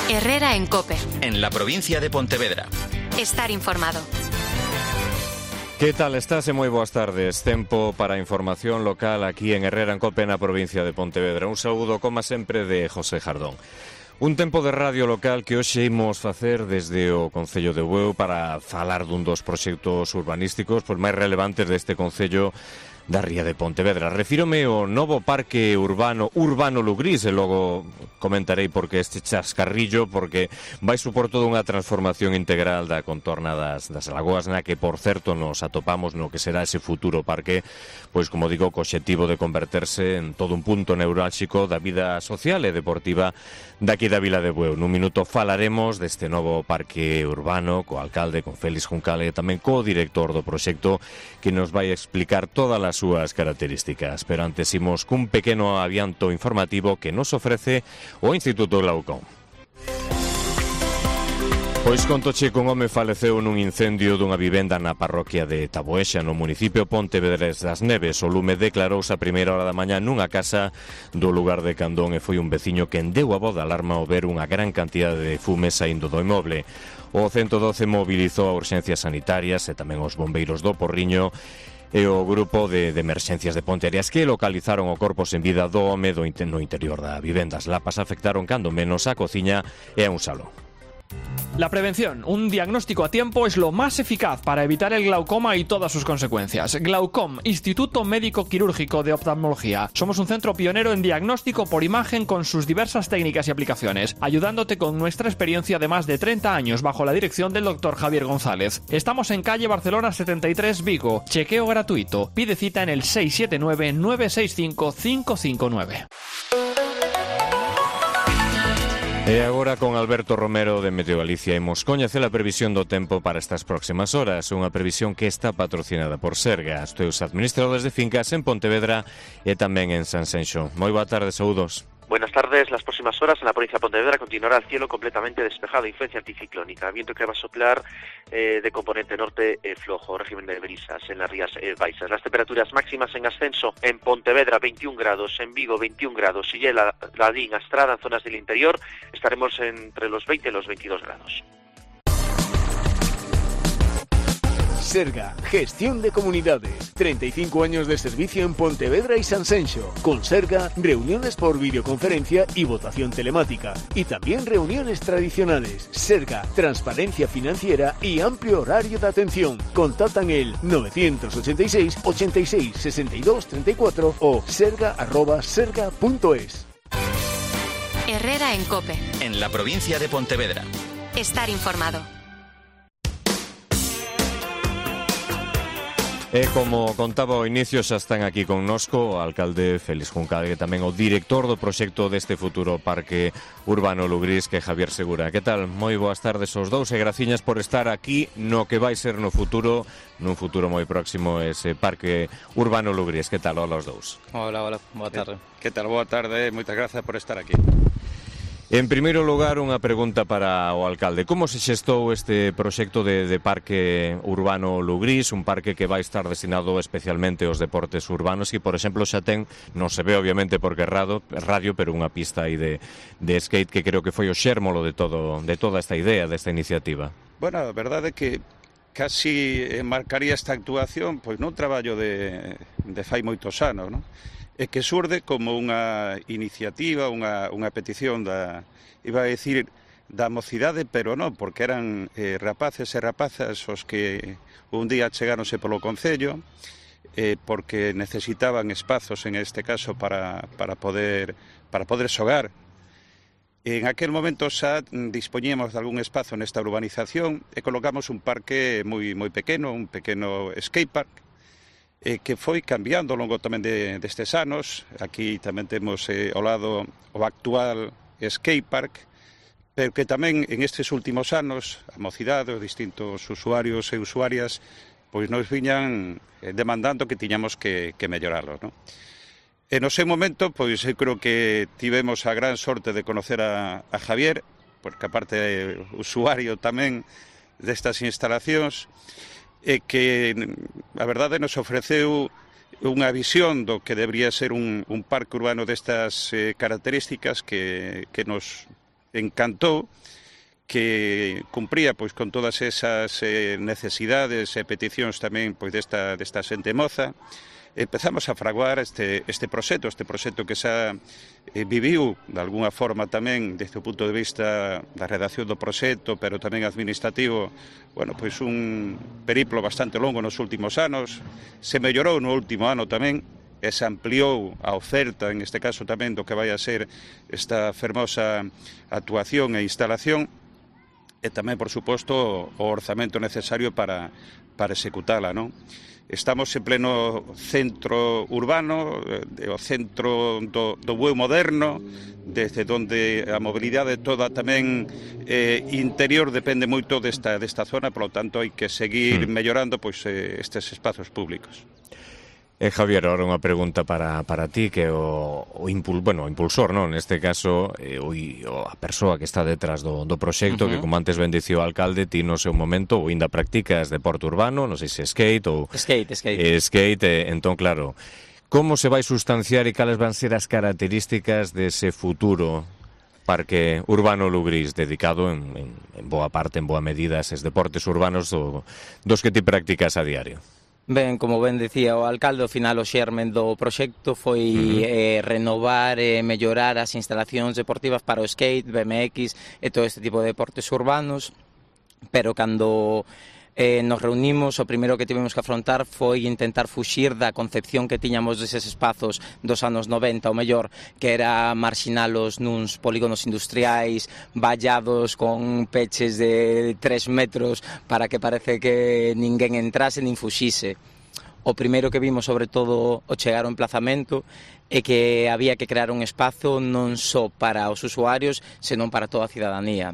Herrera en COPE. En la provincia de Pontevedra. Estar informado. Que tal estás e moi boas tardes. Tempo para a información local aquí en Herrera en COPE na provincia de Pontevedra. Un saúdo, como sempre, de José Jardón. Un tempo de radio local que hoxe imos facer desde o Concello de Bueu para falar dun dos proxectos urbanísticos máis relevantes deste Concello da Ría de Pontevedra. Refírome ao novo parque urbano Lugrís e logo comentarei por que este chascarrillo, porque vai supor toda unha transformación integral da contorna das lagoas, na que, por certo, nos atopamos no que será ese futuro parque, pois, como digo, co obxectivo de converterse en todo un punto neurálxico da vida social e deportiva daqui da Vila de Bueu. Nun minuto falaremos deste novo parque urbano co alcalde, con Félix Juncal e tamén co director do proxecto, que nos vai explicar todas as súas características. Pero antes imos cun pequeno adianto informativo que nos ofrece o Instituto Glaucón. Pois contoche que un home faleceu nun incendio dunha vivenda na parroquia de Taboexa, no municipio Pontevedrés das Neves. O lume declarouse a primeira hora da mañá nunha casa do lugar de Candón e foi un veciño quen deu a voz de alarma ao ver unha gran cantidade de fume saindo do inmoble. O 112 mobilizou a urxencias sanitarias e tamén os bombeiros do Porriño e o grupo de emerxencias de Ponteareas, que localizaron o corpo sen vida do home no interior da vivenda. As lapas afectaron cando menos a cociña e a un salón. La prevención, un diagnóstico a tiempo, es lo más eficaz para evitar el glaucoma y todas sus consecuencias. Glaucom, Instituto Médico Quirúrgico de Oftalmología. Somos un centro pionero en diagnóstico por imagen con sus diversas técnicas y aplicaciones, ayudándote con nuestra experiencia de más de 30 años bajo la dirección del Dr. Javier González. Estamos en calle Barcelona 73, Vigo. Chequeo gratuito. Pide cita en el 679-965-559. E agora con Alberto Romero de Meteo Galicia imos coñecer a previsión do tempo para estas próximas horas, unha previsión que está patrocinada por Serga, os teus administradores de fincas en Pontevedra e tamén en Sanxenxo. Moi boa tarde, saúdos. Buenas tardes. Las próximas horas en la provincia de Pontevedra continuará el cielo completamente despejado, influencia anticiclónica, viento que va a soplar de componente norte flojo, régimen de brisas en las Rías Baixas. Las temperaturas máximas en ascenso en Pontevedra 21 grados, en Vigo 21 grados, y en Ladín, Astrada, en zonas del interior estaremos entre los 20 y los 22 grados. Serga, gestión de comunidades. 35 años de servicio en Pontevedra y Sanxenxo. Con Serga, reuniones por videoconferencia y votación telemática. Y también reuniones tradicionales. Serga, transparencia financiera y amplio horario de atención. Contactan el 986 86 62 34 o serga@serga.es. Herrera en COPE. En la provincia de Pontevedra. Estar informado. E como contaba ao inicio, xa están aquí connosco o alcalde Félix Juncal e tamén o director do proxecto deste futuro parque urbano Lugrís, que é Javier Segura. Que tal? Moi boas tardes aos dous e graciñas por estar aquí no que vai ser no futuro, nun futuro moi próximo, ese parque urbano Lugrís. Que tal? Hola aos dous. Hola, boa tarde. Que tal? Boa tarde, moitas grazas por estar aquí. En primeiro lugar, unha pregunta para o alcalde. Como se xestou este proxecto de parque urbano Lugrís, un parque que vai estar destinado especialmente aos deportes urbanos e, por exemplo, xa ten, non se ve obviamente porque é radio, pero unha pista aí de skate que creo que foi o xérmolo de toda esta idea, desta iniciativa? Bueno, a verdade é que casi marcaría esta actuación pois nun traballo de fai moitos anos, non? E que surde como unha iniciativa, unha petición iba a decir, da mocidade, pero non, porque eran rapaces e rapazas os que un día chegáronse polo Concello, porque necesitaban espazos, en este caso, para poder xogar. En aquel momento xa dispoñíamos de algún espazo nesta urbanización e colocamos un parque moi pequeno, un pequeno skatepark, que foi cambiando ao longo tamén destes anos. Aquí tamén temos ao lado o actual skatepark, pero que tamén en estes últimos anos a mocidade, os distintos usuarios e usuarias pois nos viñan demandando que tiñamos que mellorarlos, non? En o seu momento, pois eu creo que tivemos a gran sorte de conocer a Javier, porque aparte é usuario tamén destas instalacións, e que a verdade nos ofreceu unha visión do que debería ser un parque urbano destas características que nos encantou que cumpría pois con todas esas necesidades e peticións tamén pois desta xente moza. Empezamos a fraguar este proxecto que xa viviu de alguna forma tamén desde o punto de vista da redacción do proxecto, pero tamén administrativo, bueno, pois un periplo bastante longo nos últimos anos. Se mellorou no último ano tamén, e se ampliou a oferta, en este caso tamén do que vai a ser esta fermosa actuación e instalación, e tamén, por suposto, o orzamento necesario para executala, non? Estamos en pleno centro urbano, o centro do bueu moderno, desde onde a mobilidade toda tamén interior depende moito desta zona, por lo tanto, hai que seguir mellorando pois estes espazos públicos. Javier, ahora unha pregunta para ti, que é o impulsor, non? Neste caso, a persoa que está detrás do proxecto, que como antes ben dicía o alcalde, ti no seu momento ou ainda practicas deporte urbano, non sei se skate ou... Skate, entón, claro, como se vai sustanciar e cales van ser as características dese futuro parque urbano Lugrís, dedicado en boa parte, en boa medida, a eses deportes urbanos dos que ti practicas a diario? Ben, como ben dicía o alcalde, ao final o xermen do proxecto foi renovar e mellorar as instalacións deportivas para o skate, BMX e todo este tipo de deportes urbanos, pero cando nos reunimos, o primeiro que tivemos que afrontar foi intentar fuxir da concepción que tiñamos deses espazos dos anos 90, o mellor, que era marxinalos nuns polígonos industriais vallados con peches de 3 metros para que parece que ninguén entrase nin fuxise. O primeiro que vimos, sobre todo, o chegar ao emplazamento, é que había que crear un espazo non só para os usuarios, senón para toda a cidadanía,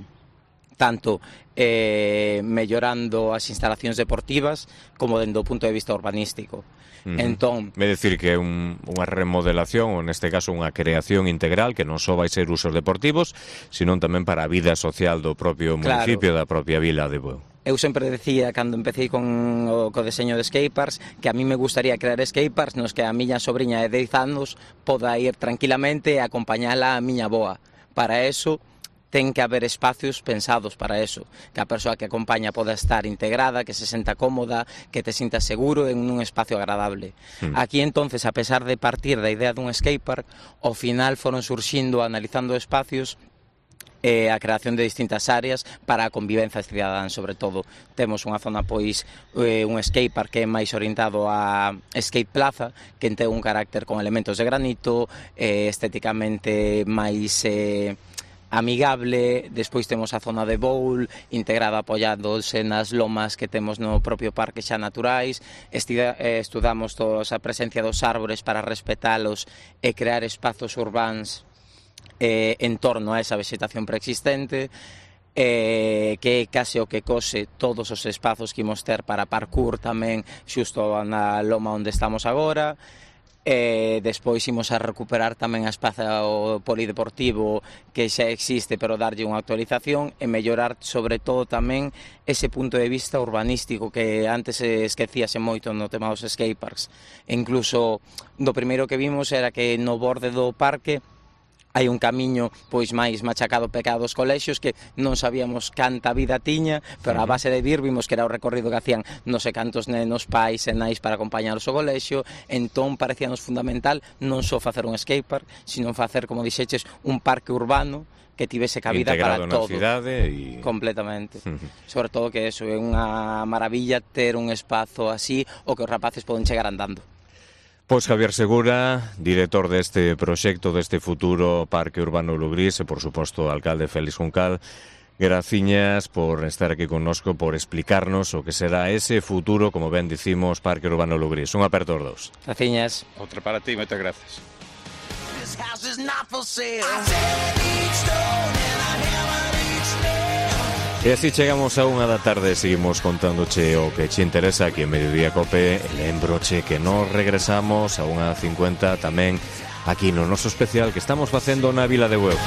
tanto mellorando as instalacións deportivas como dende o punto de vista urbanístico. Entón, é dicir que é unha remodelación, ou neste caso unha creación integral, que non só vai ser usos deportivos, sino tamén para a vida social do propio municipio, da propia vila de Bueu. Eu sempre decía, cando empecé co deseño de skateparks, que a mí me gustaría crear skateparks nos que a miña sobriña de 10 anos poda ir tranquilamente e acompañala a miña boa. Para eso ten que haber espacios pensados para eso, que a persoa que acompaña poda estar integrada, que se senta cómoda, que te sintas seguro en un espacio agradable. Aquí, entonces, a pesar de partir da idea dun skatepark, ao final foron surxindo, analizando espacios, a creación de distintas áreas para a convivencia cidadán, sobre todo. Temos unha zona, pois, un skatepark que é máis orientado a skate plaza, que ten un carácter con elementos de granito, estéticamente máis amigable. Despois temos a zona de bowl integrada, apoiándose nas lomas que temos no propio parque xa naturais. Estudamos toda a presencia dos árbores para respetalos e crear espazos urbáns en torno a esa vegetación preexistente, que é case o que cose todos os espazos que imos ter para parkour tamén xusto na loma onde estamos agora. Despois imos a recuperar tamén a espazo polideportivo que xa existe, pero darlle unha actualización e mellorar sobre todo tamén ese punto de vista urbanístico que antes esquecíase moito no tema dos skateparks. E incluso do primeiro que vimos era que no borde do parque hai un camiño pois máis machacado pecado dos colexios que non sabíamos canta vida tiña, pero a base de vir vimos que era o recorrido que hacían non sei cantos nenos, pais e nais para acompañarlos ao colexio. Entón parecíanos fundamental non só facer un skatepark, sino facer, como dixeches, un parque urbano que tivese cabida para todo. Integrado na cidade e... Completamente. Sobre todo que eso é unha maravilla ter un espazo así o que os rapaces poden chegar andando. Pois Javier Segura, director deste proxecto, deste futuro Parque Urbano Lugrís, e, por suposto, o alcalde Félix Juncal, graciñas por estar aquí connosco, por explicarnos o que será ese futuro, como ben dicimos, Parque Urbano Lugrís. Un aperto aos dous. Graciñas. Outra para ti, moitas gracias. E así chegamos a 1 da tarde, seguimos contándoche o que che interesa aquí en Mediodía Cope. E lembroche que nos regresamos a 1:50 tamén aquí no noso especial que estamos facendo na Vila de Bueu.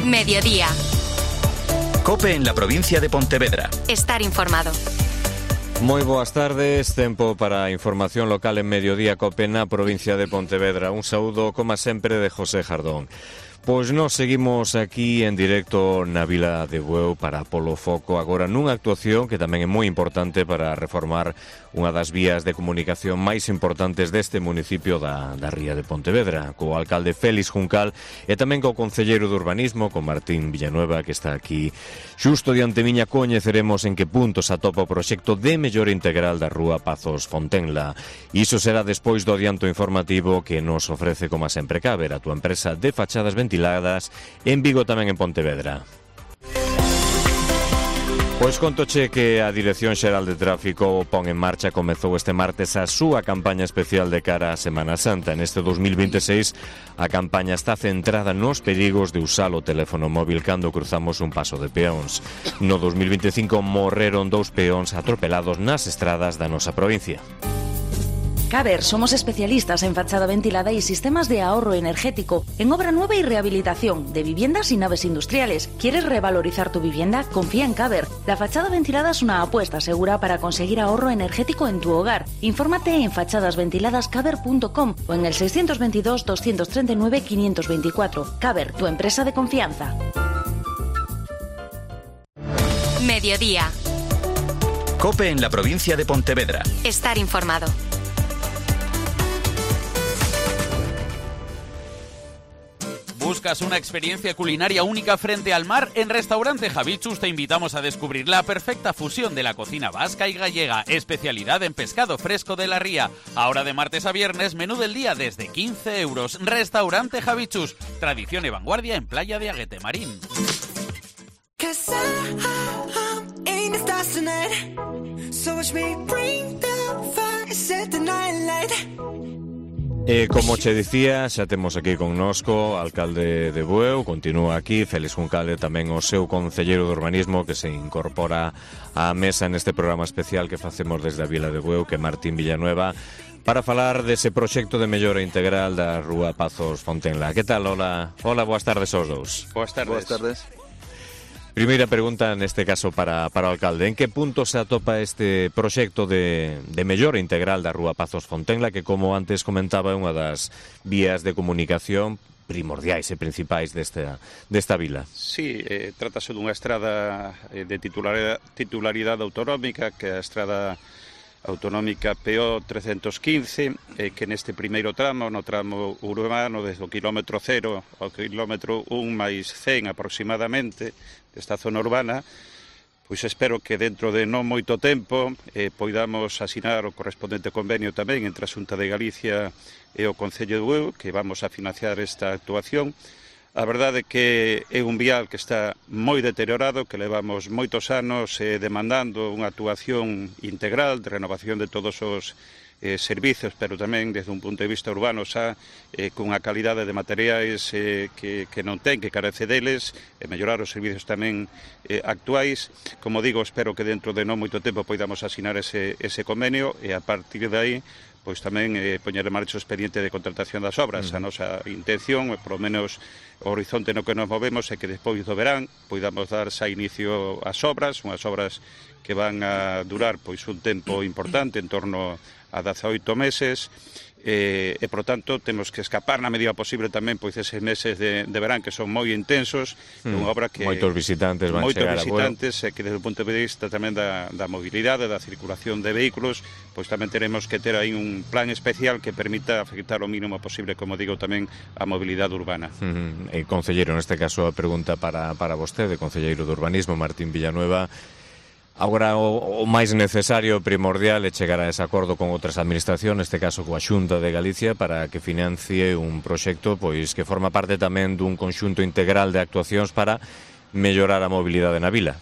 Mediodía. COPE en la provincia de Pontevedra. Estar informado. Moi boas tardes, tempo para a información local en Mediodía COPE na provincia de Pontevedra. Un saúdo, como sempre, de José Jardón. Pois nos seguimos aquí en directo na Vila de Bueu para Polo Foco, agora nunha actuación que tamén é moi importante para reformar unha das vías de comunicación máis importantes deste municipio da ría de Pontevedra, co alcalde Félix Juncal e tamén co concelleiro de Urbanismo, con Martín Villanueva, que está aquí xusto diante miña. Coñeceremos en que punto se atopa o proxecto de mellora integral da rúa Pazos Fontenla. Iso será despois do adianto informativo que nos ofrece, como sempre, Caber, a túa empresa de fachadas ventiladas en Vigo, tamén en Pontevedra. Pois contoche que a Dirección Xeral de Tráfico pon en marcha, comezou este martes a súa campaña especial de cara a Semana Santa. Neste 2026 a campaña está centrada nos perigos de usar o teléfono móvil cando cruzamos un paso de peóns. No 2025 morreron 2 peóns atropelados nas estradas da nosa provincia. Caber, somos especialistas en fachada ventilada y sistemas de ahorro energético, en obra nueva y rehabilitación de viviendas y naves industriales. ¿Quieres revalorizar tu vivienda? Confía en Caber. La fachada ventilada es una apuesta segura para conseguir ahorro energético en tu hogar. Infórmate en fachadasventiladascaber.com o en el 622 239 524. Caber, tu empresa de confianza. Mediodía. COPE en la provincia de Pontevedra. Estar informado. ¿Buscas una experiencia culinaria única frente al mar? En Restaurante Javichus te invitamos a descubrir la perfecta fusión de la cocina vasca y gallega, especialidad en pescado fresco de la ría. Ahora de martes a viernes, menú del día desde 15 euros. Restaurante Javichus, tradición y vanguardia en Playa de Aguete Marín. Como che dicía, xa temos aquí connosco alcalde de Bueu, continúa aquí Félix Juncal e tamén o seu concelleiro de Urbanismo que se incorpora á mesa neste programa especial que facemos desde a Vila de Bueu, que é Martín Villanueva, para falar dese proxecto de mellora integral da rúa Pazos Fontenla. Que tal? Hola, boas tardes aos dous. Boas tardes. Boas tardes. Primeira pregunta, neste caso, para o alcalde. En que punto se atopa este proxecto de mellora integral da rúa Pazos Fontenla, que, como antes comentaba, é unha das vías de comunicación primordiais e principais desta vila? Sí, trátase dunha estrada de titularidade autonómica, que é a estrada autonómica PO 315, que neste primeiro tramo, no tramo urbano, desde o kilómetro 0 ao kilómetro 1 máis 100 aproximadamente, desta zona urbana, pois espero que dentro de non moito tempo poidamos asinar o correspondente convenio tamén entre a Xunta de Galicia e o Concello de Bueu, que vamos a financiar esta actuación. A verdade é que é un vial que está moi deteriorado, que levamos moitos anos demandando unha actuación integral de renovación de todos os servicios, pero tamén desde un punto de vista urbano xa cunha calidade de materiais que non ten, que carece deles, e mellorar os servicios tamén actuais. Como digo, espero que dentro de non moito tempo poidamos asinar ese convenio e a partir de aí pois tamén poñer en marcha o expediente de contratación das obras. A nosa intención, polo menos o horizonte no que nos movemos, é que despois do verán poidamos dar xa inicio ás obras, unhas obras que van a durar pois un tempo importante, en torno a 18 meses, e, por tanto, temos que escapar na medida posible tamén pois eses meses de verán que son moi intensos, unha obra que moitos visitantes van chegar a Bueu. Que desde o punto de vista tamén da mobilidade, da circulación de vehículos, pois tamén teremos que ter aí un plan especial que permita afectar o mínimo posible, como digo, tamén a mobilidade urbana. Concelleiro, neste caso a pregunta para vostede, concelleiro de Urbanismo, Martín Villanueva. Agora o máis necesario, primordial, é chegar a ese acordo con outras administracións, neste caso coa Xunta de Galicia, para que financie un proxecto pois que forma parte tamén dun conxunto integral de actuacións para mellorar a mobilidade na vila.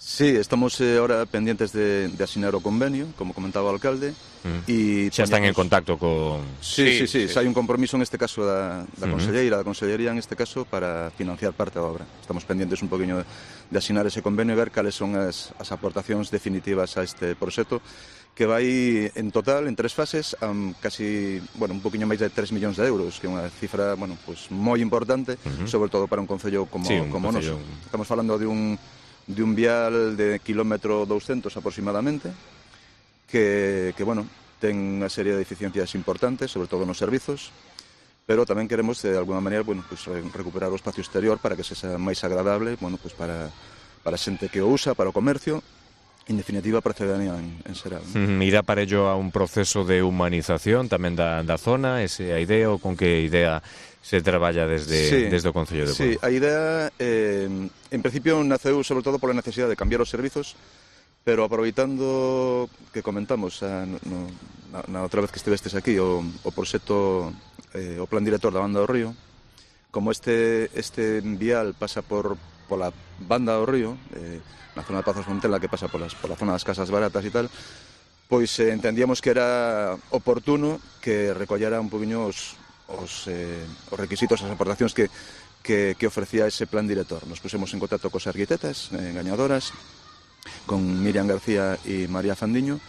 Sí, estamos ahora pendientes de asinar o convenio, como comentaba o alcalde. Xa están en contacto con... Sí, hai un compromiso en este caso da Consellería en este caso, para financiar parte da obra. Estamos pendientes un poquinho de asinar ese convenio e ver cales son as aportacións definitivas a este proxecto, que vai en total, en 3 fases, a casi, un poquinho máis de 3 millóns de euros, que é unha cifra, pues moi importante, sobre todo para un concello como noso. Estamos falando de un vial de kilómetro 200 aproximadamente, que ten unha serie de deficiencias importantes, sobre todo nos servizos, pero tamén queremos, de alguna maneira, pues recuperar o espacio exterior para que sexa máis agradable, pues para a xente que o usa, para o comercio, en definitiva, para a ciudadanía en xeral. Irá para ello a un proceso de humanización tamén da zona, esa idea, ou con que idea se traballa desde o Concello de Bueu? Sí, a idea, en principio, naceu sobre todo pola necesidade de cambiar os servizos, pero aproveitando que comentamos na outra vez que estivestes aquí o proxecto, o plan director da Banda do Río, como este vial pasa pola Banda do Río, na zona de Pazos Fontela, que pasa pola zona das casas baratas e tal, pois entendíamos que era oportuno que recollera un poquinho os requisitos, as aportacións que ofrecía ese plan director. Nos pusemos en contacto cos arquitectas gañadoras, con Miriam García e María Fandiño,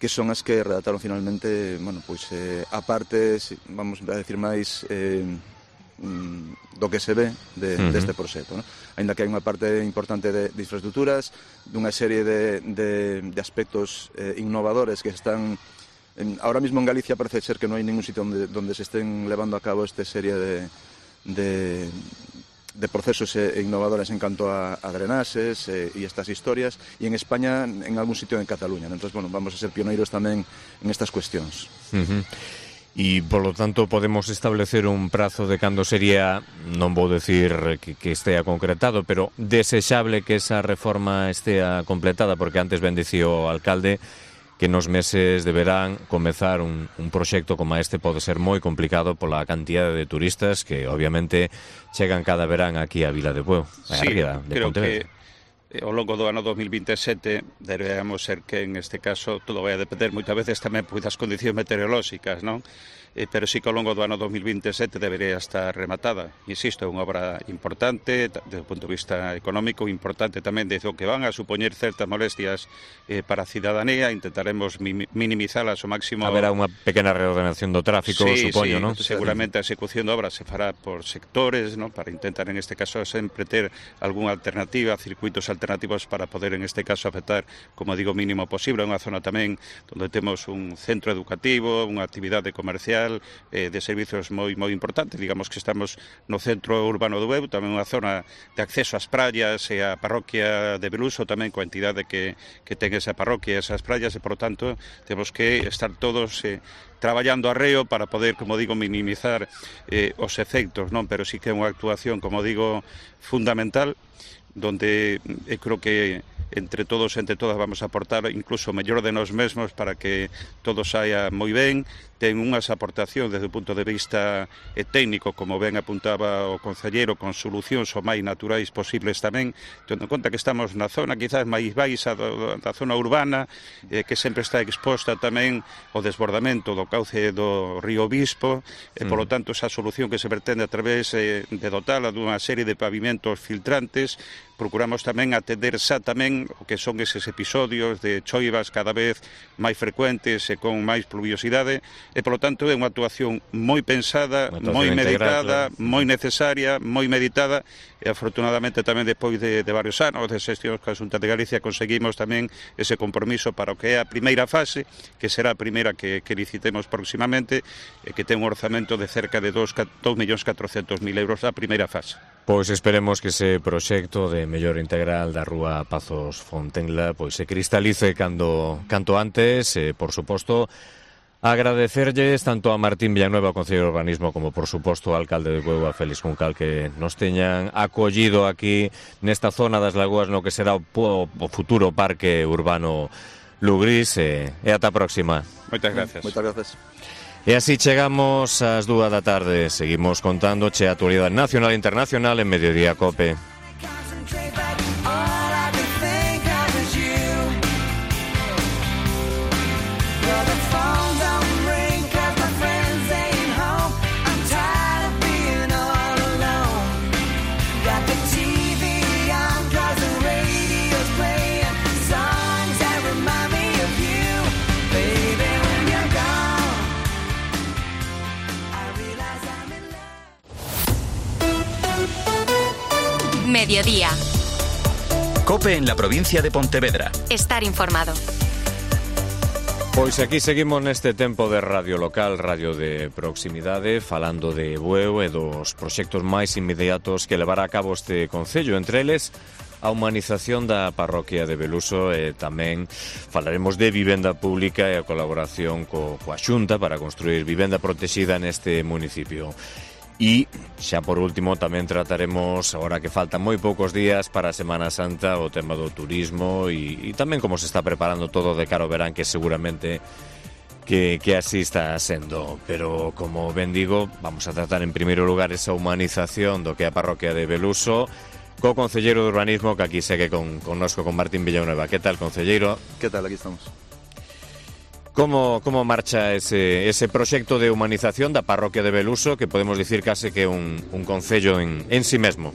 que son as que redactaron finalmente, a parte, vamos a decir máis, do que se ve deste proxecto, ¿no? Ainda que hai unha parte importante de infraestructuras, dunha serie de aspectos innovadores que están ahora mismo en Galicia. Parece ser que non hai ningún sitio donde se estén levando a cabo esta serie de procesos innovadores en canto a drenaxes e estas historias, e en España en algún sitio en Cataluña. Entón, vamos a ser pioneiros tamén en estas cuestións. E, polo tanto, podemos establecer un prazo de cando sería, non vou decir que estea concretado, pero desexable que esa reforma estea completada, porque antes ben dicía o alcalde que nos meses de verán comezar un proxecto como este pode ser moi complicado pola cantidad de turistas que, obviamente, chegan cada verán aquí a Vila de Bueu, a Ría de Pontevedra. Ao longo do ano 2027 deberíamos ser que, en este caso, todo vai a depender moitas veces tamén das condicións meteorolóxicas, non? Pero sí que ao longo do ano 2027 debería estar rematada. Insisto, é unha obra importante desde o punto de vista económico, importante tamén desde o que van a supoñer certas molestias para a cidadanía. Intentaremos minimizalas ao máximo. Haberá unha pequena reordenación do tráfico, supoño, non? Seguramente a execución da obra se fará por sectores, non? Para intentar, en este caso, sempre ter algunha alternativa, circuitos alternativos para poder, en este caso, afectar, como digo, o mínimo posible. É unha zona tamén onde temos un centro educativo, unha actividade comercial, de servicios moi importante. Digamos que estamos no centro urbano do Bueu, tamén unha zona de acceso ás praias e a parroquia de Beluso tamén, coa entidade que ten esa parroquia e esas praias, e, por tanto, temos que estar todos traballando arreo para poder, como digo, minimizar os efectos, non? Pero sí que é unha actuación, como digo, fundamental, donde creo que entre todos e entre todas vamos a aportar incluso o mellor de nós mesmos para que todo saia moi ben. Ten unhas aportacións desde o punto de vista técnico, como ben apuntaba o concelleiro, con solucións o máis naturais posibles tamén, tendo en conta que estamos na zona quizás máis baixa da zona urbana, que sempre está exposta tamén ao desbordamento do cauce do río Bispo, e, polo tanto, esa solución que se pretende a través de dotala dunha serie de pavimentos filtrantes. Procuramos tamén atender xa tamén o que son eses episodios de choivas cada vez máis frecuentes e con máis pluviosidade, e, polo tanto, é unha actuación moi pensada, moi meditada, moi necesaria, moi meditada, e, afortunadamente, tamén despois de varios anos de xestión coa Xunta de Galicia conseguimos tamén ese compromiso para o que é a primeira fase, que será a primeira que licitemos próximamente, e que ten un orzamento de cerca de 2.400.000 euros a primeira fase. Pois esperemos que ese proxecto de mellor integral da rúa Pazos Fontenla se cristalice canto antes. Por suposto, agradecerlles tanto a Martín Villanueva, o Concelleiro de Urbanismo, como, por suposto, ao alcalde de Bueu, a Félix Juncal, que nos teñan acollido aquí nesta zona das lagoas no que será o futuro parque urbano Lugrís, e ata a próxima. Moitas gracias. Moitas gracias. E así chegamos ás 2 da tarde. Seguimos contándoche a actualidade nacional e internacional en Mediodía Cope. Mediodía. COPE en la provincia de Pontevedra. Estar informado. Pois aquí seguimos neste tempo de radio local, radio de proximidade, falando de Bueu e dos proxectos máis inmediatos que levará a cabo este concello, entre eles a humanización da parroquia de Beluso e tamén falaremos de vivenda pública e a colaboración coa Xunta para construir vivenda protexida neste municipio. E, xa por último, tamén trataremos, agora que faltan moi poucos días para a Semana Santa, o tema do turismo e tamén como se está preparando todo de cara ao verán, que seguramente que así está sendo. Pero, como ben digo, vamos a tratar en primeiro lugar esa humanización do que é a parroquia de Beluso, co concelleiro de urbanismo que aquí segue connosco, con Martín Villanueva. Que tal, concelleiro? Que tal, aquí estamos. Como marcha ese proxecto de humanización da parroquia de Beluso, que podemos dicir case que un concello en sí mesmo?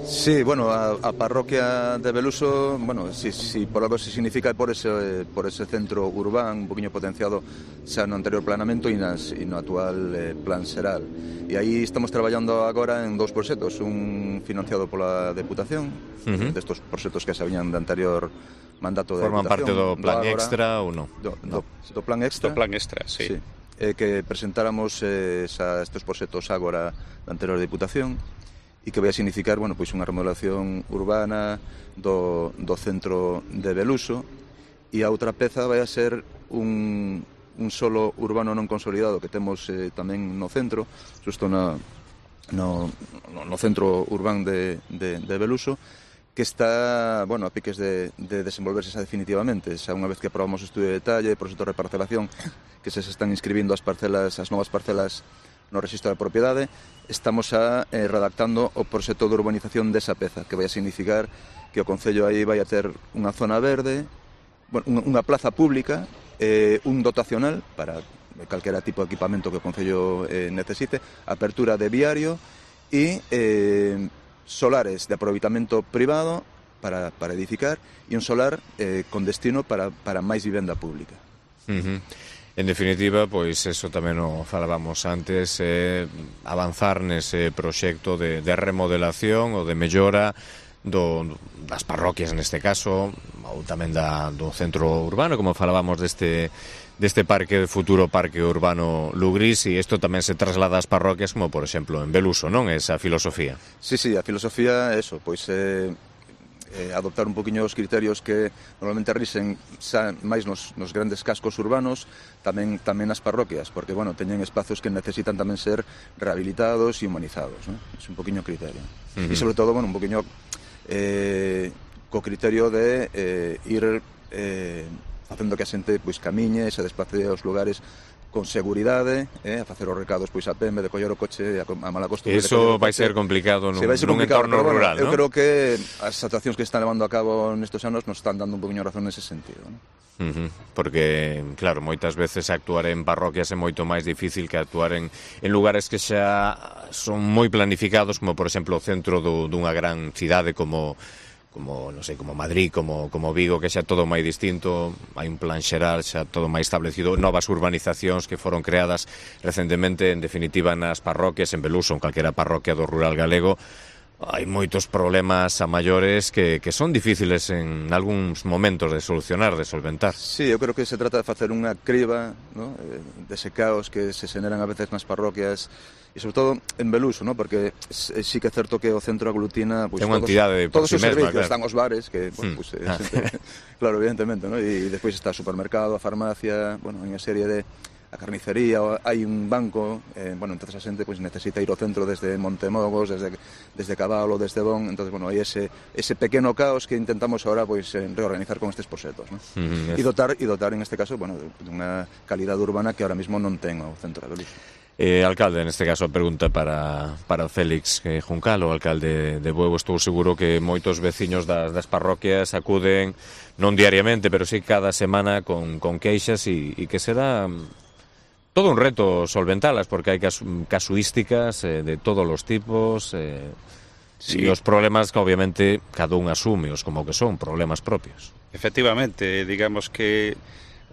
Sí, bueno, a parroquia de Beluso, bueno, si por algo se significa por ese centro urbán un poquinho potenciado xa no anterior planeamento e no actual plan xeral. E aí estamos traballando agora en dous proxectos, un financiado pola Deputación, destos proxectos que xa viñan de anterior mandato de Forman Deputación. Parte do plan extra ou non? Do plan extra. Do plan extra, sí. Que presentáramos estes proxectos agora da anterior Deputación e que vai a significar, bueno, pois unha remodelación urbana do centro de Beluso, e a outra peza vai a ser un solo urbano non consolidado que temos tamén no centro, xusto no centro urbán de Beluso, que está, bueno, a piques de desenvolverse xa definitivamente. Xa unha vez que aprobamos o estudio de detalle, proxecto de reparcelación, que se están inscribindo as novas parcelas no registro da propiedade, estamos redactando o proxecto de urbanización desa peza, que vai a significar que o concello aí vai a ter unha zona verde, bueno, unha plaza pública, un dotacional para calquera tipo de equipamento que o concello necesite, apertura de viario e solares de aproveitamento privado para edificar e un solar con destino para máis vivenda pública. En definitiva, pois eso tamén o falábamos antes, avanzar nese proxecto de remodelación ou de mellora das parroquias neste caso, ou tamén do centro urbano, como falábamos deste futuro parque urbano Lugris, e isto tamén se traslada ás parroquias como, por exemplo, en Beluso, non? Esa filosofía. Sí, a filosofía é eso, pois adoptar un poquinho os criterios que normalmente risen máis nos grandes cascos urbanos, tamén nas parroquias, porque, bueno, teñen espazos que necesitan tamén ser rehabilitados e humanizados, non? É un poquinho criterio. E, sobre todo, bueno, un poquinho co criterio de ir facendo que a xente pois camiñe, se desplace aos lugares con seguridade, a facer os recados pois a pé, en vez de coller o coche a mala costumbre. Eso vai ser complicado nun entorno rural, non? Eu creo que as actuacións que están levando a cabo nestes anos nos están dando un poquinho razón nese sentido, non? Porque, claro, moitas veces actuar en parroquias é moito máis difícil que actuar en lugares que xa son moi planificados, como por exemplo o centro dunha gran cidade como Madrid, como Vigo, que xa todo máis distinto, hai un plan xeral xa todo máis establecido, novas urbanizacións que foron creadas recentemente, en definitiva nas parroquias, en Beluso, en calquera parroquia do rural galego. Hai moitos problemas a maiores que son difíciles en algúns momentos de solucionar, de solventar. Sí, eu creo que se trata de facer unha criba, ¿no?, dese caos que se xeneran a veces nas parroquias, e sobre todo en Beluso, ¿no?, porque sí que é certo que o centro aglutina pues, todos os servicios, claro. Están os bares, que, bueno, pues, claro, evidentemente, ¿no?, e despois está o supermercado, a farmacia, bueno, unha serie de a carnicería, hai un banco, bueno, entonces a xente pues, necesita ir ao centro desde Montemogos, desde Cabalo, desde Bon, entonces, bueno, hai ese pequeno caos que intentamos ahora pues, reorganizar con estes proxectos, ¿no? E dotar en este caso, bueno, de unha calidad urbana que ahora mismo non ten o centro de Beluso. Alcalde, neste caso a pregunta para Félix Juncal, o alcalde de Bueu. Estou seguro que moitos veciños das parroquias acuden non diariamente, pero sí cada semana con queixas e que será todo un reto solventalas, porque hai casuísticas de todos os tipos e os problemas que obviamente cada un asume os como que son problemas propios. Efectivamente, digamos que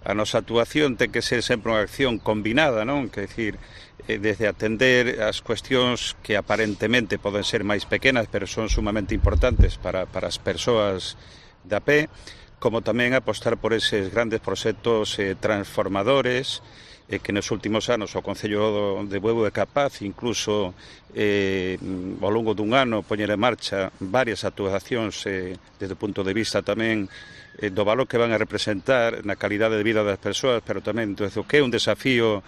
a nosa actuación ten que ser sempre unha acción combinada, non? Que decir, desde atender as cuestións que aparentemente poden ser máis pequenas, pero son sumamente importantes para as persoas da pé, como tamén apostar por eses grandes proxectos transformadores que nos últimos anos o Concello de Bueu é capaz, incluso ao longo dun ano, poñer en marcha varias actuacións desde o punto de vista tamén do valor que van a representar na calidade de vida das persoas, pero tamén do que é un desafío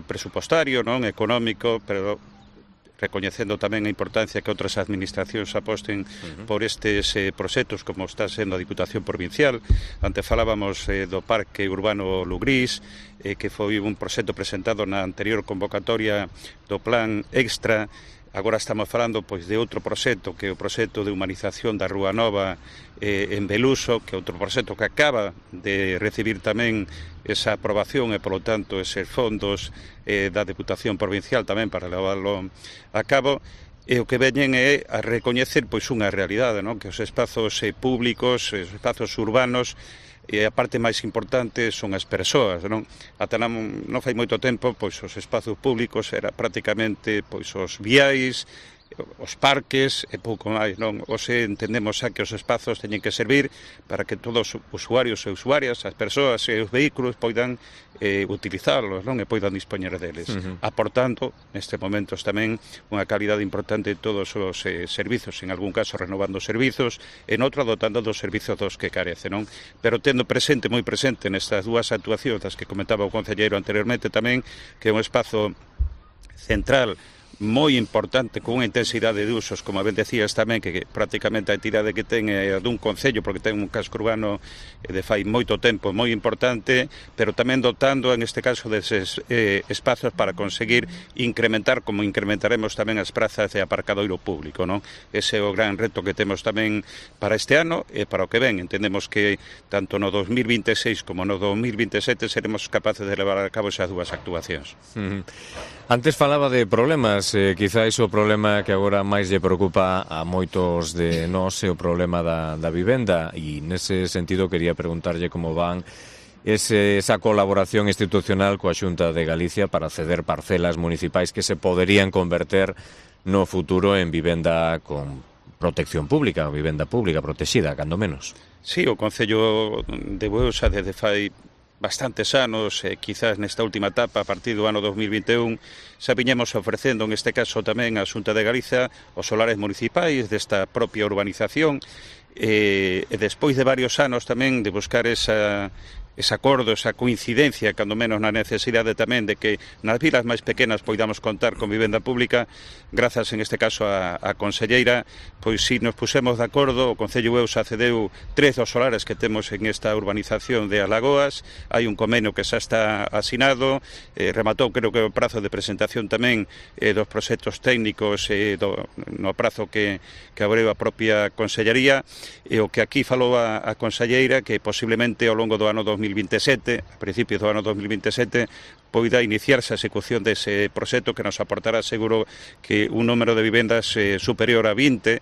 presupostario, non económico, pero recoñecendo tamén a importancia que outras administracións aposten por estes proxectos, como está sendo a Diputación Provincial. Antes falábamos do Parque Urbano Lugrís, que foi un proxecto presentado na anterior convocatoria do Plan Extra. Agora estamos falando pois de outro proxecto, que é o proxecto de humanización da Rúa Nova en Beluso, que é outro proxecto que acaba de recibir tamén esa aprobación e, polo tanto, eses fondos da Deputación Provincial tamén para levarlo a cabo. E o que veñen é a recoñecer pois unha realidade, non? Que os espazos públicos, os espazos urbanos, e a parte máis importante son as persoas, non? Ata non fai moito tempo, pois os espazos públicos era prácticamente pois os viais, os parques e pouco máis, non? Hoxe entendemos xa que os espazos teñen que servir para que todos os usuarios e usuarias, as persoas e os vehículos poidan utilizarlos, non? E poidan dispoñer deles, aportando neste momentos tamén unha calidade importante de todos os servizos, en algún caso renovando servizos, en outro dotando dos servizos dos que carece, non? Pero tendo presente, moi presente nestas dúas actuacións das que comentaba o concelleiro anteriormente tamén, que é un espazo central moi importante, con unha intensidade de usos, como ben decías tamén, que prácticamente a entidade que ten é dun concello, porque ten un casco urbano de fai moito tempo moi importante, pero tamén dotando, en este caso, deses espazos para conseguir incrementar, como incrementaremos tamén as prazas de aparcadoiro público, non? Ese é o gran reto que temos tamén para este ano e para o que ven. Entendemos que tanto no 2026 como no 2027 seremos capaces de levar a cabo esas dúas actuacións. Antes falaba de problemas, quizáis o problema que agora máis lle preocupa a moitos de nós é o problema da vivenda, e nese sentido quería preguntarlle como van esa colaboración institucional coa Xunta de Galicia para ceder parcelas municipais que se poderían converter no futuro en vivenda con protección pública, vivenda pública protexida, cando menos. Sí, o Concello de Bueu xa desde fai bastantes anos, quizás nesta última etapa, a partir do ano 2021, xa viñemos ofrecendo, en este caso tamén a Xunta de Galicia, os solares municipais desta propia urbanización, e despois de varios anos tamén de buscar ese acordo, esa coincidencia, cando menos na necesidade tamén de que nas vilas máis pequenas poidamos contar con vivenda pública, grazas en este caso a conselleira, pois si nos pusemos de acordo, o Concello Bueu xa cedeu 3 dos solares que temos en esta urbanización de Alagoas, hai un convenio que xa está asinado, rematou creo que o prazo de presentación tamén dos proxectos técnicos no prazo que abreu a propia consellería, e o que aquí falou a conselleira, que posiblemente ao longo do ano 2027, a principios do ano 2027, poida iniciarse a execución dese proxecto que nos aportará seguro que un número de vivendas superior a 20.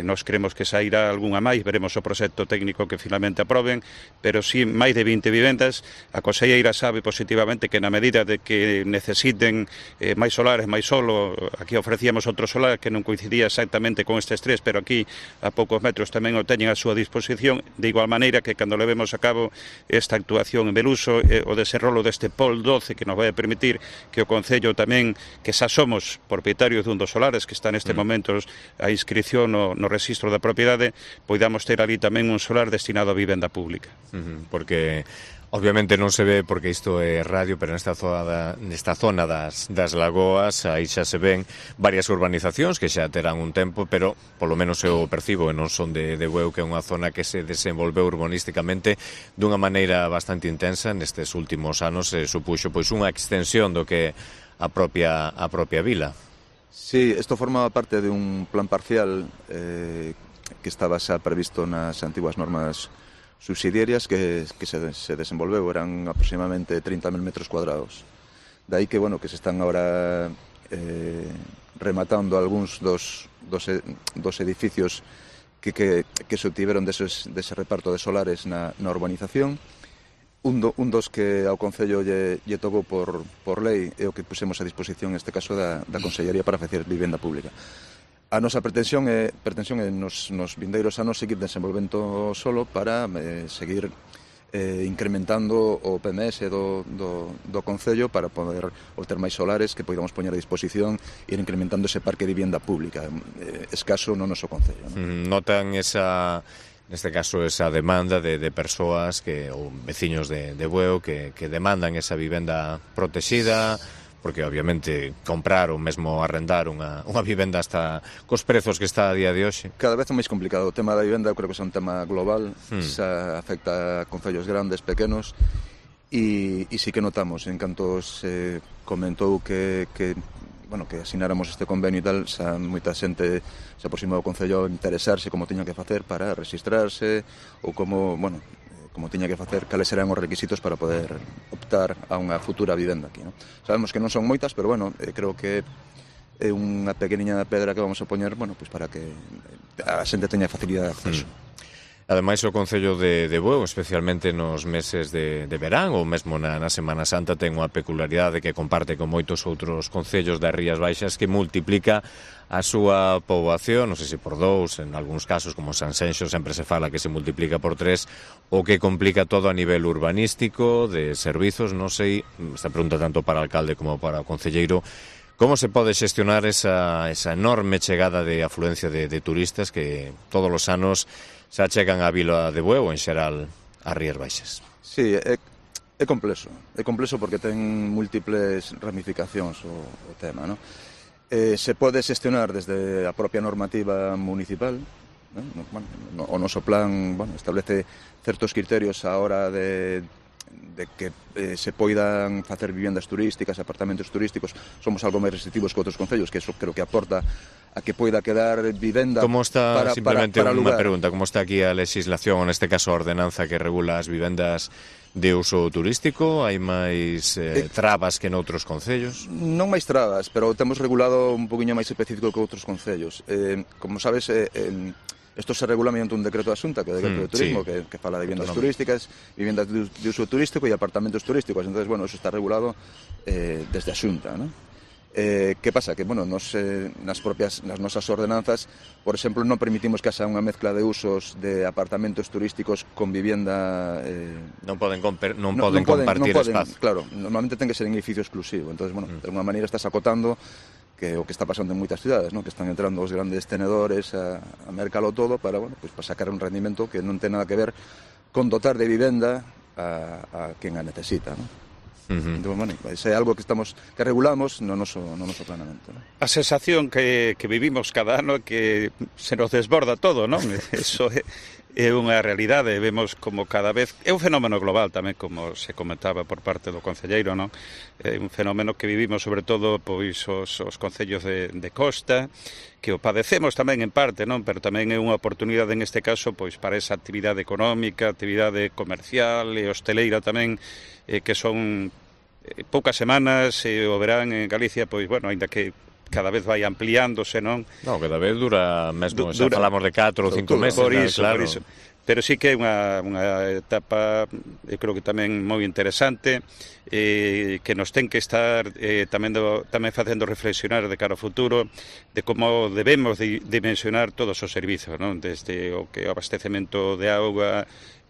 Nos creemos que sairá algunha máis, veremos o proxecto técnico que finalmente aproben, pero si máis de 20 vivendas. A conselleira sabe positivamente que na medida de que necesiten máis solares, máis solo, aquí ofrecíamos outro solar que non coincidía exactamente con estes 3, pero aquí a poucos metros tamén o teñen a súa disposición, de igual maneira que cando levemos a cabo esta actuación en Beluso, o desenrolo deste POL 12, que nos vai a permitir que o Concello tamén, que xa somos propietarios dun dos solares que está neste momento a inscripción no registro da propiedade, poidamos ter ali tamén un solar destinado a vivenda pública. Porque obviamente non se ve, porque isto é radio, pero nesta zona das lagoas aí xa se ven varias urbanizacións que xa terán un tempo, pero polo menos eu percibo, e non son de Bueu, que é unha zona que se desenvolveu urbanísticamente dunha maneira bastante intensa nestes últimos anos, supuxo pois unha extensión do que a propia vila. Sí, isto forma parte de un plan parcial que estaba xa previsto nas antiguas normas subsidiarias que se desenvolveu, eran aproximadamente 30.000 metros cuadrados. De aí que, bueno, que se están ahora rematando algúns dos edificios que se obtiveron dese reparto de solares na urbanización. un dos que ao Concello lle tocou por lei é o que pusemos a disposición neste caso da Consellería para facer vivenda pública. A nosa pretensión é nos vindeiros anos seguir desenvolvendo solo para seguir incrementando o PMS do Concello para poder obter máis solares que podamos poñer a disposición e ir incrementando ese parque de vivenda pública escaso no noso Concello, ¿no? Notan neste caso esa demanda de persoas ou veciños de Bueu que demandan esa vivenda protexida, porque obviamente comprar ou mesmo arrendar unha vivenda hasta cos prezos que está a día de hoxe. Cada vez é máis complicado. O tema da vivenda eu creo que é un tema global, xa afecta a concellos grandes, pequenos, e sí que notamos, en canto se comentou que asináramos este convenio e tal, xa moita xente se aproximou ao Concello a interesarse como tiña que facer para registrarse ou como tiña que facer, cales serán os requisitos para poder optar a unha futura vivenda aquí, ¿no? Sabemos que non son moitas, pero creo que é unha pequeniña pedra que vamos a poñer, para que a xente teña facilidade de acceso. Ademais, o Concello de Bueu, especialmente nos meses de verán ou mesmo na Semana Santa, ten unha peculiaridade que comparte con moitos outros concellos das Rías Baixas que multiplica a súa poboación, non sei se por 2, en algúns casos, como Sanxenxo, sempre se fala que se multiplica por 3, o que complica todo a nivel urbanístico, de servizos. Non sei, esta pregunta tanto para o alcalde como para o concelleiro, como se pode xestionar esa enorme chegada de afluencia de turistas que todos os anos se achegan á vila de Bueu, en xeral ás Rías Baixas. Sí, é complexo porque ten múltiples ramificacións o tema, ¿no? Se pode xestionar desde a propia normativa municipal, ¿no? O noso plan establece certos criterios a hora de que se poidan facer vivendas turísticas, apartamentos turísticos. Somos algo máis restrictivos que outros concellos, que eso creo que aporta a que poida quedar vivenda como está, para simplemente para unha pregunta, como está aquí a legislación, ou neste caso a ordenanza que regula as vivendas de uso turístico? Hai máis trabas que noutros concellos? Non máis trabas, pero temos regulado un poquinho máis específico que outros concellos. Como sabes, isto se regula mediante un decreto da Xunta, que é o decreto de turismo, sí, que fala de vivendas turísticas, vivendas de uso turístico e apartamentos turísticos. Entonces, eso está regulado desde a Xunta, ¿no? Que pasa? Que, nas nosas ordenanzas, por exemplo, non permitimos que haxa unha mezcla de usos de apartamentos turísticos con vivenda... Non poden compartir espazo. Claro, normalmente ten que ser en edificio exclusivo. Entonces, de alguma maneira estás acotando que o que está pasando en moitas cidades, ¿no? Que están entrando os grandes tenedores a mercalo todo para sacar un rendimento que non ten nada que ver con dotar de vivenda a quen a necesita, ¿no? Entón, é algo que regulamos no noso planeamento, ¿no? A sensación que vivimos cada ano que se nos desborda todo, non? Eso é unha realidade, vemos como cada vez... É un fenómeno global tamén, como se comentaba por parte do concelleiro, non? É un fenómeno que vivimos sobre todo pois os concellos de costa, que o padecemos tamén en parte, non? Pero tamén é unha oportunidade neste caso pois para esa actividade económica, actividade comercial e hosteleira tamén, que son poucas semanas, o verán en Galicia, pois, aínda que cada vez vai ampliándose, non? Non, cada vez dura mesmo, xa falamos de 4 ou 5 meses, por iso. Pero sí que é unha etapa, eu creo que tamén moi interesante, que nos ten que estar tamén facendo reflexionar de cara ao futuro de como debemos dimensionar todos os servizos, non? Desde o abastecemento de auga,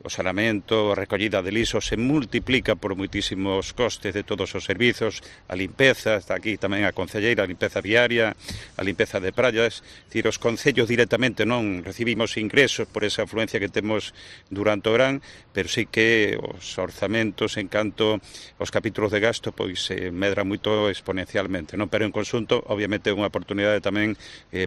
o saneamento, a recollida de lixos, se multiplica por moitísimos costes de todos os servizos, a limpeza, está aquí tamén a concelleira, a limpeza viaria, a limpeza de praias, dicir, os concellos directamente non recibimos ingresos por esa afluencia que temos durante o verán, pero sí que os orzamentos, en canto os capítulos de gasto, pois se medran moito exponencialmente, non? Pero en conxunto, obviamente, é unha oportunidade tamén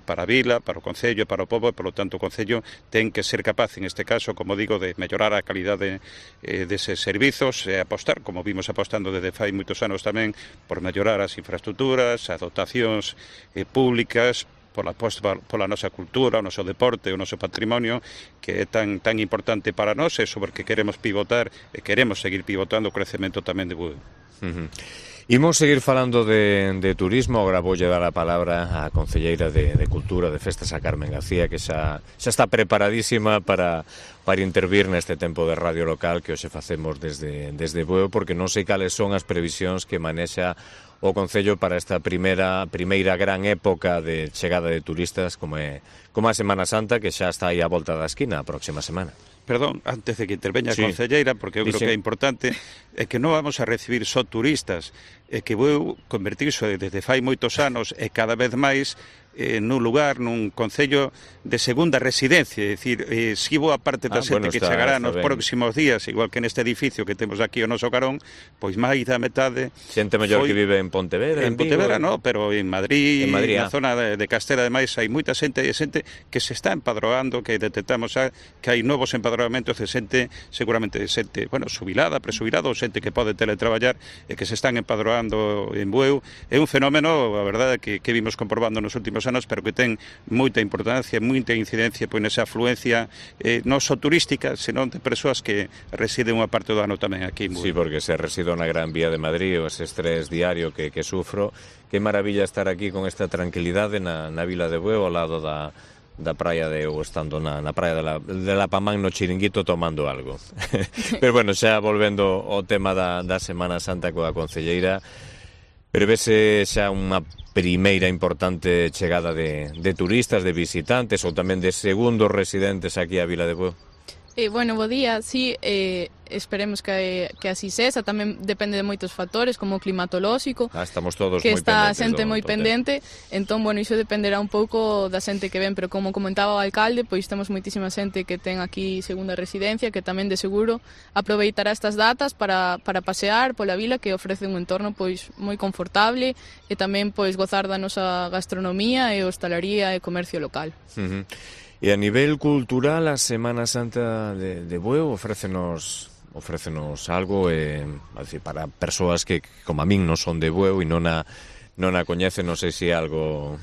para a vila, para o concello, para o pobo, e, polo tanto, o concello ten que ser capaz, en este caso, como digo, de mellorar a calidade deses servizos e apostar, como vimos apostando desde fai moitos anos tamén, por mellorar as infraestructuras, as dotacións públicas, pola nosa cultura, o noso deporte, o noso patrimonio, que é tan importante para nós, e sobre que queremos pivotar e queremos seguir pivotando o crecemento tamén de Bueu. Imos seguir falando de turismo. Agora voulle dar a palabra á concelleira de Cultura, de Festas, a Carmen García, que xa está preparadísima para intervir neste tempo de radio local que hoxe facemos desde Bueu, porque non sei cales son as previsións que manexa o Concello para esta primeira gran época de chegada de turistas como a Semana Santa, que xa está aí á volta da esquina a próxima semana. Perdón, antes de que interveña a concelleira, porque eu creo que é importante, é que non vamos a recibir só turistas, é que vou convertirse desde fai moitos anos e cada vez máis nun lugar, nun concello de segunda residencia, é dicir, si boa parte da xente que chegará nos próximos días, igual que neste edificio que temos aquí o noso carón, pois máis da metade xente mellor que vive en Pontevedra, en Pontevedra non, pero en Madrid, na zona de Castela, ademais hai moita xente que se está empadroando, que detectamos que hai novos empadroamentos de xente, seguramente xente, xubilada, presubilada, ou xente que pode teletraballar e que se están empadroando en Bueu. É un fenómeno, a verdade, que vimos comprobando nos últimos anos, pero que ten moita importancia, moita incidencia pois nesa afluencia non só turística, senón de persoas que residen unha parte do ano tamén aquí en Bueu. Sí, porque se resido na Gran Vía de Madrid, o ese estrés diario que sufro, que maravilla estar aquí con esta tranquilidade na vila de Bueu, ao lado da praia ou estando na praia de la Pamán no chiringuito tomando algo. Pero bueno, xa volvendo ao tema da Semana Santa coa concelleira, prevese xa unha primeira importante chegada de turistas, de visitantes ou tamén de segundos residentes aquí á vila de Bueu? Bo día, sí, esperemos que así sexa, tamén depende de moitos factores como o climatolóxico, estamos todos que moi está pendentes xente moi pendente, entón, iso dependerá un pouco da xente que ven, pero como comentaba o alcalde, pois temos moitísima xente que ten aquí segunda residencia, que tamén de seguro aproveitará estas datas para pasear pola vila, que ofrece un entorno pois moi confortable e tamén pois gozar da nosa gastronomía e hostalería e comercio local. E a nivel cultural, a Semana Santa de Bueu ofrécenos algo para persoas que, como a min, non son de Bueu e non a coñecen, non sei se algo...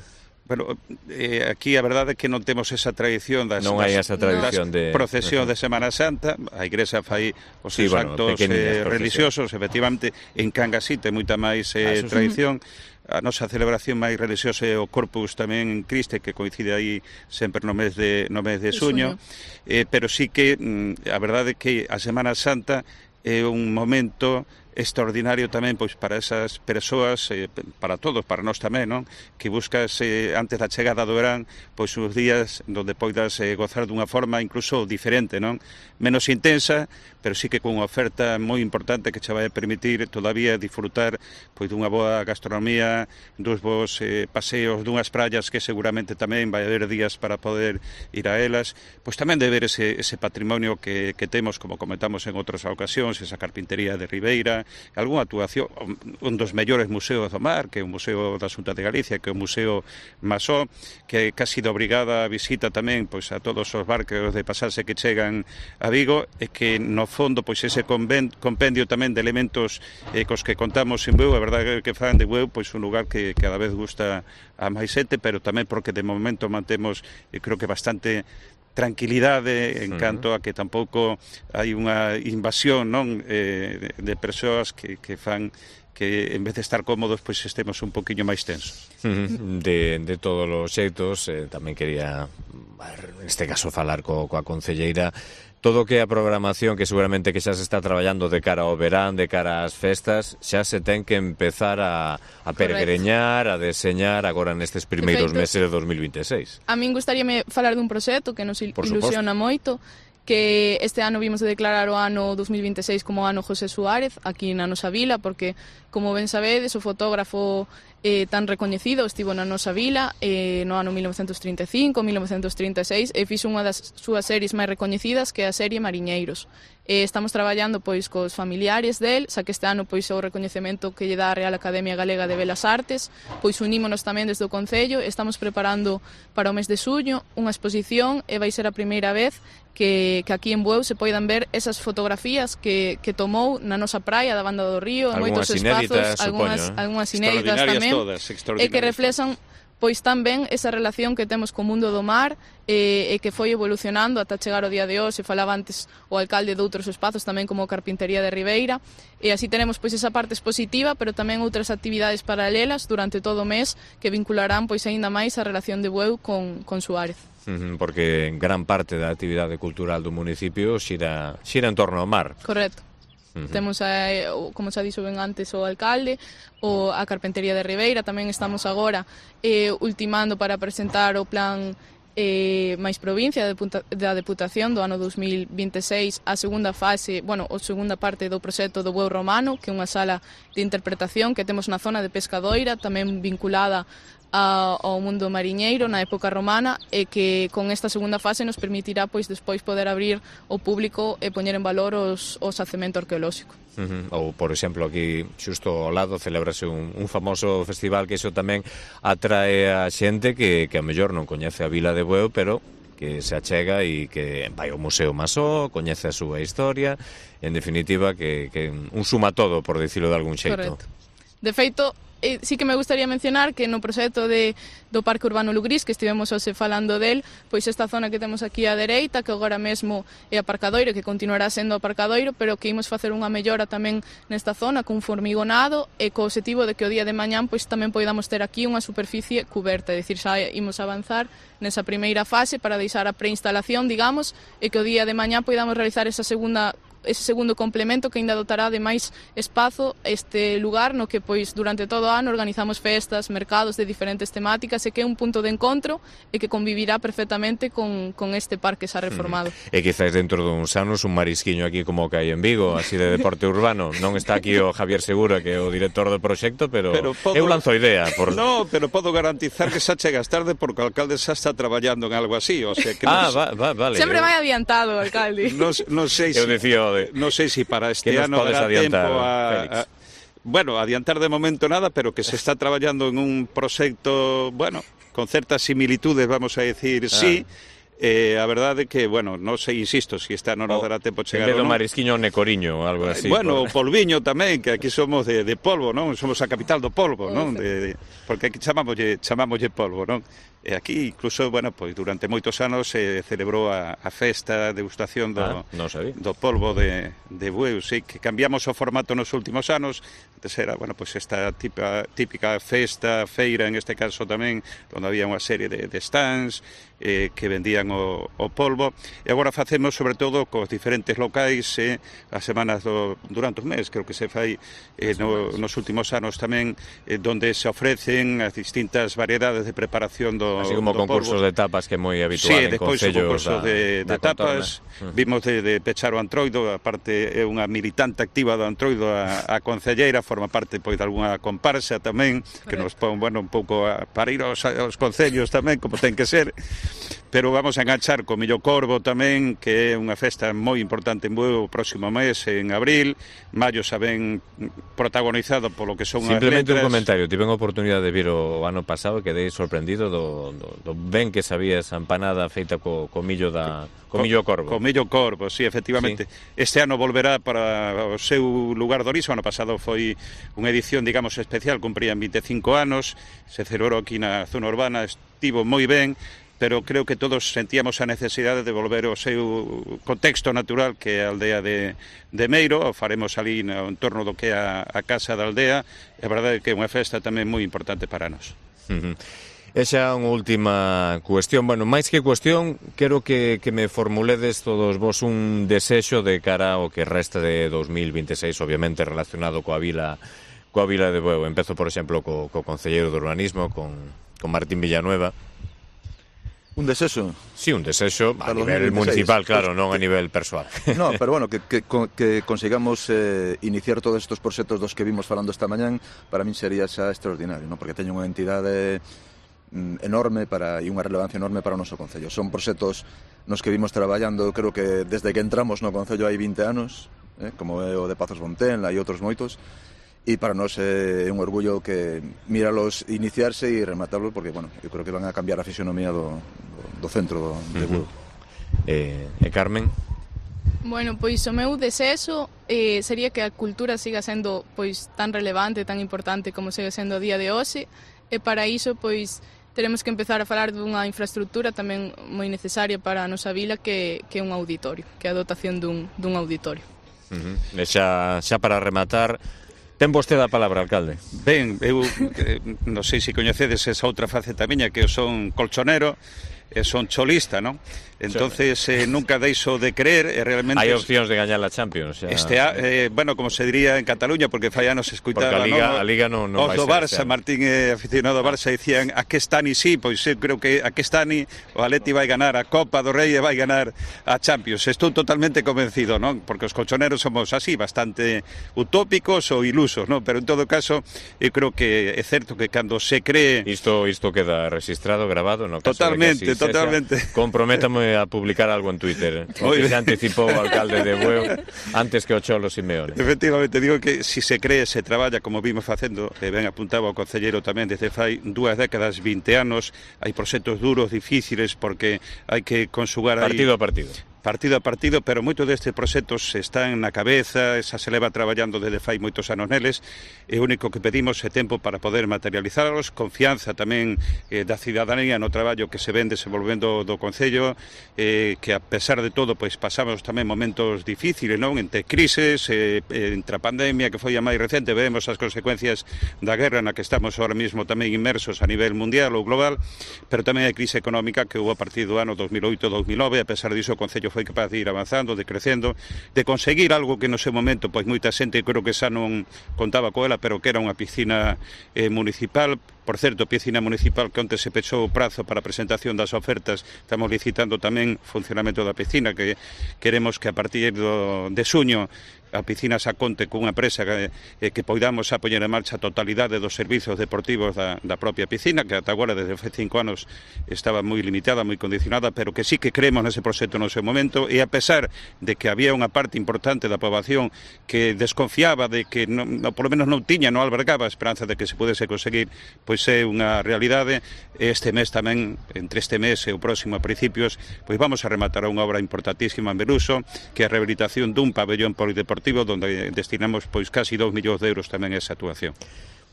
Aquí a verdade é que non temos esa tradición das procesións de Semana Santa. A Igrexa fai os seus actos religiosos, efectivamente. En Cangas sí ten moita máis tradición. A nosa celebración máis religiosa é o Corpus tamén en Criste, que coincide aí sempre no mes de xuño, pero sí que a verdade é que a Semana Santa é un momento extraordinario tamén pois para esas persoas, para todos, para nós tamén, non? Que buscas antes da chegada do verán, pois uns días onde poidas gozar dunha forma incluso diferente, non? Menos intensa, pero sí que con unha oferta moi importante que che vai permitir todavía disfrutar pois dunha boa gastronomía, dos bons paseos, dunhas praias que seguramente tamén vai haber días para poder ir a elas, pois tamén de ver ese patrimonio que temos, como comentamos en outras ocasións, esa carpintería de Ribeira, algunha actuación, un dos mellores museos do mar, que é o Museo da Xunta de Galicia, que é o Museo Masó, que casi de obrigada visita tamén pois a todos os barcos de pasaxe que chegan a Vigo, e que no fondo pois ese compendio tamén de elementos cos que contamos en Bueu, a verdade que fan de Bueu pois un lugar que cada vez gusta a máis xente, pero tamén porque de momento mantemos, creo que bastante tranquilidade en canto a que tampouco hai unha invasión, non, de persoas que fan que en vez de estar cómodos pois estemos un poquinho máis tensos. De todos os xeitos, tamén quería neste caso falar coa concelleira. Todo o que é a programación, que seguramente que xa se está traballando de cara ao verán, de cara ás festas, xa se ten que empezar a peregreñar, a deseñar agora nestes primeiros meses de 2026. A min gustaríame falar dun proxecto que nos ilusiona moito, que este ano vimos de declarar o ano 2026 como ano José Suárez aquí na nosa vila, porque, como ben sabedes, o fotógrafo tan recoñecido estivo na nosa vila no ano 1935, 1936 e fixo unha das súas series máis recoñecidas, que é a serie Mariñeiros. Estamos traballando pois cos familiares del, xa que este ano pois o recoñecemento que lle dá a Real Academia Galega de Belas Artes, pois unímonos tamén desde o Concello. Estamos preparando para o mes de xuño unha exposición e vai ser a primeira vez que aquí en Bueu se poidan ver esas fotografías que tomou na nosa praia da Banda do Río, en moitos espazos, algunhas inéditas tamén, todas, e que reflexan pois tamén esa relación que temos co mundo do mar e que foi evolucionando ata chegar ao día de hoxe. Falaba antes o alcalde de outros espazos tamén como a Carpintería de Ribeira, e así tenemos pois esa parte expositiva, pero tamén outras actividades paralelas durante todo o mes que vincularán pois aínda máis a relación de Bueu con Suárez. Porque gran parte da actividade cultural do municipio xira en torno ao mar. Correcto. Temos, como xa dixo ben antes, o alcalde, a Carpintería de Ribeira. Tamén estamos agora ultimando para presentar o plan máis provincia da Deputación do ano 2026, a segunda fase, a segunda parte do proxecto do Bueu Romano, que é unha sala de interpretación que temos na zona de Pescadoira, tamén vinculada ao mundo mariñeiro na época romana, e que con esta segunda fase nos permitirá pois despois poder abrir ao público e poñer en valor o xacemento arqueolóxico. Ou, por exemplo, aquí xusto ao lado celebrase un famoso festival que iso tamén atrae a xente que a mellor non coñece a vila de Bueu, pero que se achega e que vai ao Museo Masó, coñece a súa historia, en definitiva que un suma todo, por dicilo de algún xeito. Correcto. De feito, sí que me gustaría mencionar que no proxecto do Parque Urbano Lugrís, que estivemos hoxe falando del, pois esta zona que temos aquí á dereita, que agora mesmo é aparcadoiro, que continuará sendo aparcadoiro, pero que imos facer unha mellora tamén nesta zona cun formigonado, e co objetivo de que o día de mañán pois tamén poidamos ter aquí unha superficie cuberta, é dicir, xa imos avanzar nesa primeira fase para deixar a preinstalación, digamos, e que o día de mañán poidamos realizar ese segundo complemento que ainda dotará de máis espazo este lugar no que pois durante todo o ano organizamos festas, mercados de diferentes temáticas, e que é un punto de encontro e que convivirá perfectamente con este parque xa reformado. E quizás dentro duns anos un marisquiño aquí como o que hai en Vigo, así de deporte urbano. Non está aquí o Javier Segura, que é o director do proxecto, pero eu lanzo a idea. No, pero podo garantizar que xa chegas tarde porque o alcalde xa está traballando en algo así, o sea que vale. Sempre vai adiantado o alcalde. Non sei se... Eu dicía non sei se para este ano dará tempo adiantar de momento nada, pero que se está traballando en un proxecto, con certas similitudes, vamos a decir, sí. A verdade é que, non sei, insisto, se este ano non dará tempo chegar ou non. En vez do marisquiño necoriño, algo así. O polviño tamén, que aquí somos de polvo, non? Somos a capital do polvo, non? Porque aquí chamámoslle polvo, non? E aquí, incluso, pois durante moitos anos se celebrou a festa de degustación do polvo de Bueu, sí, que cambiamos o formato nos últimos anos. Antes era, pois esta típica festa, feira, en este caso tamén, onde había unha serie de stands que vendían o polvo, e agora facemos sobre todo cos diferentes locais as semanas durante os meses, creo que se fai nos últimos anos tamén, donde se ofrecen as distintas variedades de preparación do así como concursos de tapas, que é moi habitual en concellos. Sí, depois o concurso de tapas, vimos de pechar o Antroido, aparte é unha militante activa do Antroido, a concelleira, forma parte pois de algunha comparsa tamén, que nos pon, un pouco para ir aos concellos tamén, como ten que ser. Pero vamos a enganchar co Millo Corvo tamén, que é unha festa moi importante en Bueu o próximo mes, en abril. Maio xa ben protagonizado polo que son as letras. Simplemente un comentario, tive a oportunidade de vir o ano pasado e quedei sorprendido do ben que sabía esa empanada feita co millo Corvo. Co Millo Corvo, sí, efectivamente. Sí. Este ano volverá para o seu lugar de orixe. O ano pasado foi unha edición, digamos, especial, cumprían 25 anos, se celebrou aquí na zona urbana, estivo moi ben, pero creo que todos sentíamos a necesidade de volver ao seu contexto natural, que é a aldea de Meiro. O faremos ali no entorno do que é a casa da aldea, e a verdade é que é unha festa tamén moi importante para nós. E xa unha última cuestión, máis que cuestión, quero que me formuledes todos vos un desexo de cara ao que resta de 2026, obviamente relacionado coa vila de Bueu. Empezo, por exemplo, co concelleiro de urbanismo, con Martín Villanueva. Un desexo? Sí, un desexo a nivel municipal, claro, non a nivel persoal. No, pero que consigamos iniciar todos estes proxectos dos que vimos falando esta mañán, para min sería xa extraordinario, non? Porque teño unha entidade enorme e unha relevancia enorme para o noso concello. Son proxectos nos que vimos traballando, creo que desde que entramos no concello hai 20 anos, como é o de Pazos Bontenla e outros moitos, e para nós é un orgullo que míralos iniciarse e rematarlos, porque, eu creo que van a cambiar a fisionomía do centro de Bueu. E Carmen? Pois o meu desexo sería que a cultura siga sendo pois tan relevante, tan importante como segue sendo a día de hoxe, e para iso pois teremos que empezar a falar dunha infraestructura tamén moi necesaria para a nosa vila que é un auditorio, que é a dotación dun auditorio. E xa para rematar, ten vostede a palabra, alcalde. Ben, eu non sei se coñecedes esa outra faceta miña, que eu son colchonero e son cholista, non? Entonces nunca deixo de creer e realmente hai opcións de gañar a Champions bueno, como se diría en Cataluña, porque fai anos escuitaba a Liga non vai ser Barça, Martín aficionado ao Barça, dicían a que estani pois eu creo que a que estani o Atleti vai ganar a Copa do Rei e vai ganar a Champions. Estou totalmente convencido, non? Porque os colchoneros somos así, bastante utópicos ou ilusos, non? Pero en todo caso eu creo que é certo que cando se cree isto queda registrado, grabado, no caso totalmente. Comprométame a publicar algo en Twitter, que se anticipou o alcalde de Bueu antes que o Cholo Simeone. Efectivamente, digo que si se cree, se traballa, como vimos facendo, e ben apuntaba o concelleiro tamén, desde fai 2 décadas, 20 anos, hai proxectos duros, difíciles, porque hai que consugar partido a partido, pero moitos destes proxectos están na cabeza, esa se leva traballando desde fai moitos anos neles, e o único que pedimos é tempo para poder materializarlos, confianza tamén da cidadanía no traballo que se ven desenvolvendo do Concello, que a pesar de todo pois pasamos tamén momentos difíciles, non? Entre crises, entre a pandemia que foi a máis recente, vemos as consecuencias da guerra na que estamos ahora mesmo tamén inmersos a nivel mundial ou global, pero tamén a crise económica que houve a partir do ano 2008-2009, a pesar diso o Concello foi capaz de ir avanzando, de crecendo, de conseguir algo que no seu momento pois moita xente creo que xa non contaba coela, pero que era unha piscina municipal. Por certo, piscina municipal que onte se pechou o prazo para a presentación das ofertas, estamos licitando tamén funcionamento da piscina, que queremos que a partir de xuño a piscina xa conte cunha empresa que poidamos a poñer en marcha a totalidade dos servizos deportivos da propia piscina, que ata agora desde fai 5 anos estaba moi limitada, moi condicionada, pero que sí que creemos nese proxecto no seu momento, e a pesar de que había unha parte importante da poboación que desconfiaba de que polo menos non tiña, non albergaba a esperanza de que se pudese conseguir, pois é unha realidade. Este mes tamén, entre este mes e o próximo a principios, pois vamos a rematar unha obra importantísima en Beruso, que é a rehabilitación dun pabellón polideportivo donde destinamos pois casi 2 millóns de euros tamén a esa actuación.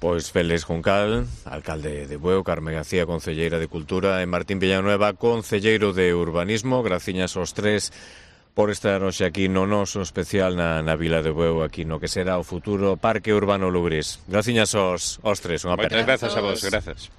Pois Félix Juncal, alcalde de Bueu, Carmen García, concelleira de Cultura, e Martín Villanueva, concelleiro de Urbanismo. Graciñas aos tres por estar hoxe aquí no noso especial na vila de Bueu, aquí no que será o futuro Parque Urbano Lugrís. Graciñas aos tres, unha aperta. Moitas grazas a vos, grazas.